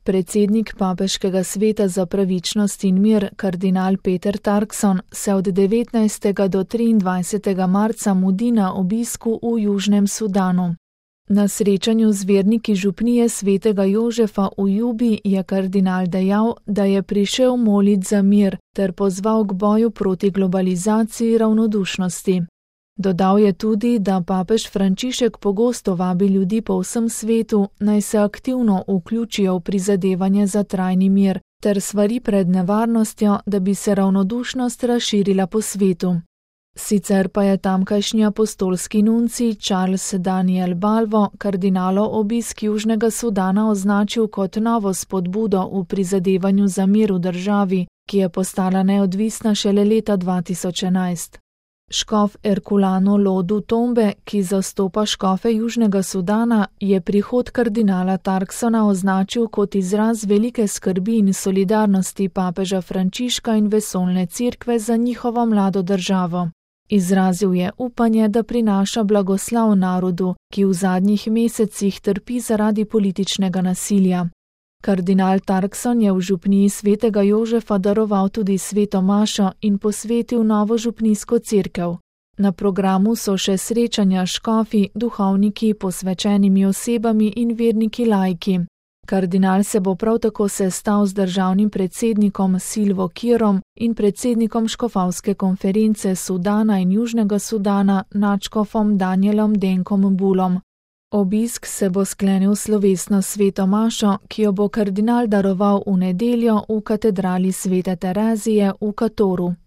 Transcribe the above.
Predsednik Papeškega sveta za pravičnost in mir, kardinal Peter Turkson, se od 19. do 23. marca mudi na obisku v Južnem Sudanu. Na srečanju z verniki župnije svetega Jožefa v Jubi je kardinal dejal, da je prišel molit za mir ter pozval k boju proti globalizaciji ravnodušnosti. Dodal je tudi, da papež Frančišek pogosto vabi ljudi po vsem svetu, naj se aktivno vključijo v prizadevanje za trajni mir, ter svari pred nevarnostjo, da bi se ravnodušnost razširila po svetu. Sicer pa je tamkajšnji apostolski nuncij Charles Daniel Balvo kardinalov obisk Južnega Sudana označil kot novo spodbudo v prizadevanju za mir v državi, ki je postala neodvisna šele leta 2011. Škof Erculano Lodu Tombe, ki zastopa škofe Južnega Sudana, je prihod kardinala Turksona označil kot izraz velike skrbi in solidarnosti papeža Frančiška in vesoljne cerkve za njihovo mlado državo. Izrazil je upanje, da prinaša blagoslov narodu, ki v zadnjih mesecih trpi zaradi političnega nasilja. Kardinal Turkson je v župniji svetega Jožefa daroval tudi sveto mašo in posvetil novo župnijsko cerkev. Na programu so še srečanja škofi, duhovniki, posvečenimi osebami in verniki laiki. Kardinal se bo prav tako sestal z državnim predsednikom Silvo Kirom in predsednikom škofovske konference Sudana in Južnega Sudana nadškofom Danielom Denkom Bulom. Obisk se bo sklenil slovesno sveto mašo, ki jo bo kardinal daroval v nedeljo v katedrali Svete Terezije v Katoru.